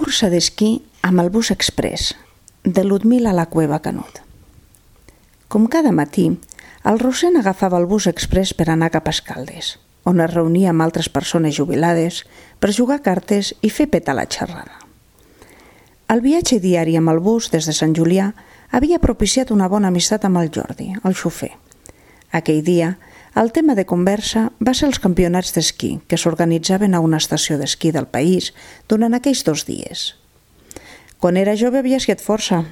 Cursa d'esquí amb el bus express, de Ludmila La Cueva Canut. Com cada matí, el Rossend agafava el bus express per anar cap a Escaldes, on es reunia amb altres persones jubilades per jugar a cartes i fer petar la xerrada. El viatge diari amb el bus des de Sant Julià havia propiciat una bona amistat amb el Jordi, el xofer. Aquell dia, el tema de conversa va ser els campionats d'esquí que s'organitzaven a una estació d'esquí del país durant aquells 2 dies. Quan era jove havia esquiat força,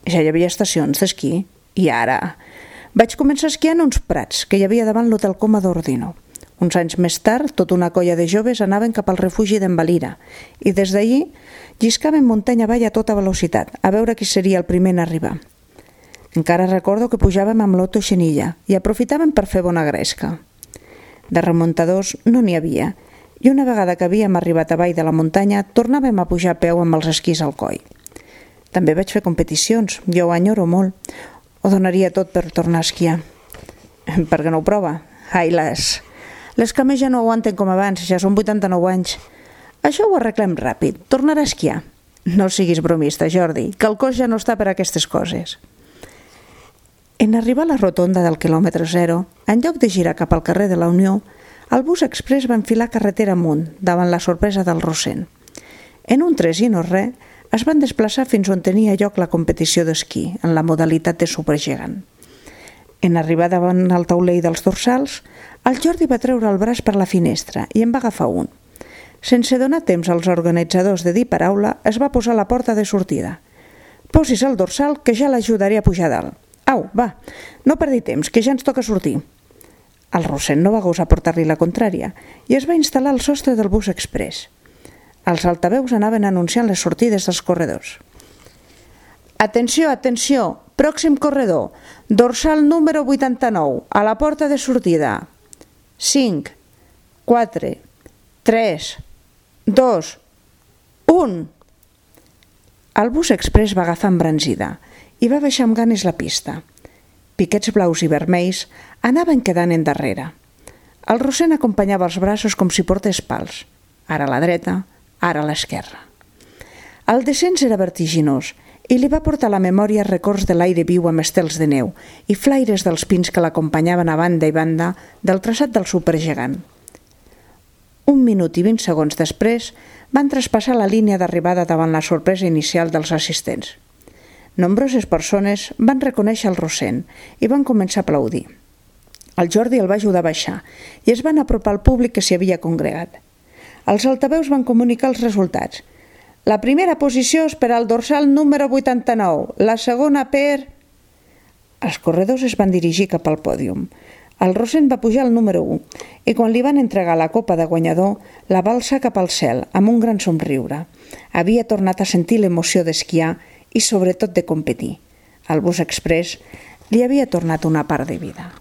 ja hi havia estacions d'esquí, i ara vaig començar esquiant uns prats que hi havia davant l'Hotel Coma d'Ordino. Uns anys més tard, tota una colla de joves anaven cap al refugi d'en Valira i des d'allí lliscaven muntanya avall a tota velocitat, a veure qui seria el primer en arribar. Encara recordo que pujàvem amb l'Otto Xenilla i aprofitàvem per fer bona gresca. De remuntadors no n'hi havia, i una vegada que havíem arribat avall de la muntanya tornàvem a pujar a peu amb els esquís al coll. També vaig fer competicions, jo ho enyoro molt. Ho donaria tot per tornar a esquiar. Per què no ho prova? Ai, les cames ja no aguanten com abans, ja són 89 anys. Això ho arreglem ràpid, tornarà a esquiar. No siguis bromista, Jordi, que el cos ja no està per a aquestes coses. En arribar a la rotonda del quilòmetre 0, en lloc de girar cap al carrer de la Unió, el bus express va enfilar carretera amunt, davant la sorpresa del Rossend. En un 3 i no res, es van desplaçar fins on tenia lloc la competició d'esquí, en la modalitat de supergegant. En arribar davant el taulell dels dorsals, el Jordi va treure el braç per la finestra i en va agafar un. Sense donar temps als organitzadors de dir paraula, es va posar a la porta de sortida. «Posis el dorsal, que ja l'ajudaré a pujar dalt». «Au, va, no perdi temps, que ja ens toca sortir». El Rossend no va gosar portar-li la contrària i es va instal·lar al sostre del bus express. Els altaveus anaven anunciant les sortides dels corredors. «Atenció, atenció, pròxim corredor, dorsal número 89, a la porta de sortida. 5, 4, 3, 2, 1». El bus express va agafar embranzida i va baixar amb ganes la pista. Piquets blaus i vermells anaven quedant endarrere. El Rossend acompanyava els braços com si portés pals, ara a la dreta, ara a l'esquerra. El descens era vertiginós i li va portar a la memòria records de l'aire viu amb estels de neu i flaires dels pins que l'acompanyaven a banda i banda del traçat del supergegant. 1 minut i 20 segons després van traspassar la línia d'arribada davant la sorpresa inicial dels assistents. Nombroses persones van reconèixer el Rossend i van començar a aplaudir. El Jordi el va ajudar a baixar i es van apropar al públic que s'hi havia congregat. Els altaveus van comunicar els resultats. La primera posició és per al dorsal número 89, la segona per... Els corredors es van dirigir cap al pòdium. El Rossend va pujar al número 1 i quan li van entregar la copa de guanyador la va alçar cap al cel amb un gran somriure. Havia tornat a sentir l'emoció d'esquiar i sobretot de competir. El bus express li havia tornat una part de vida.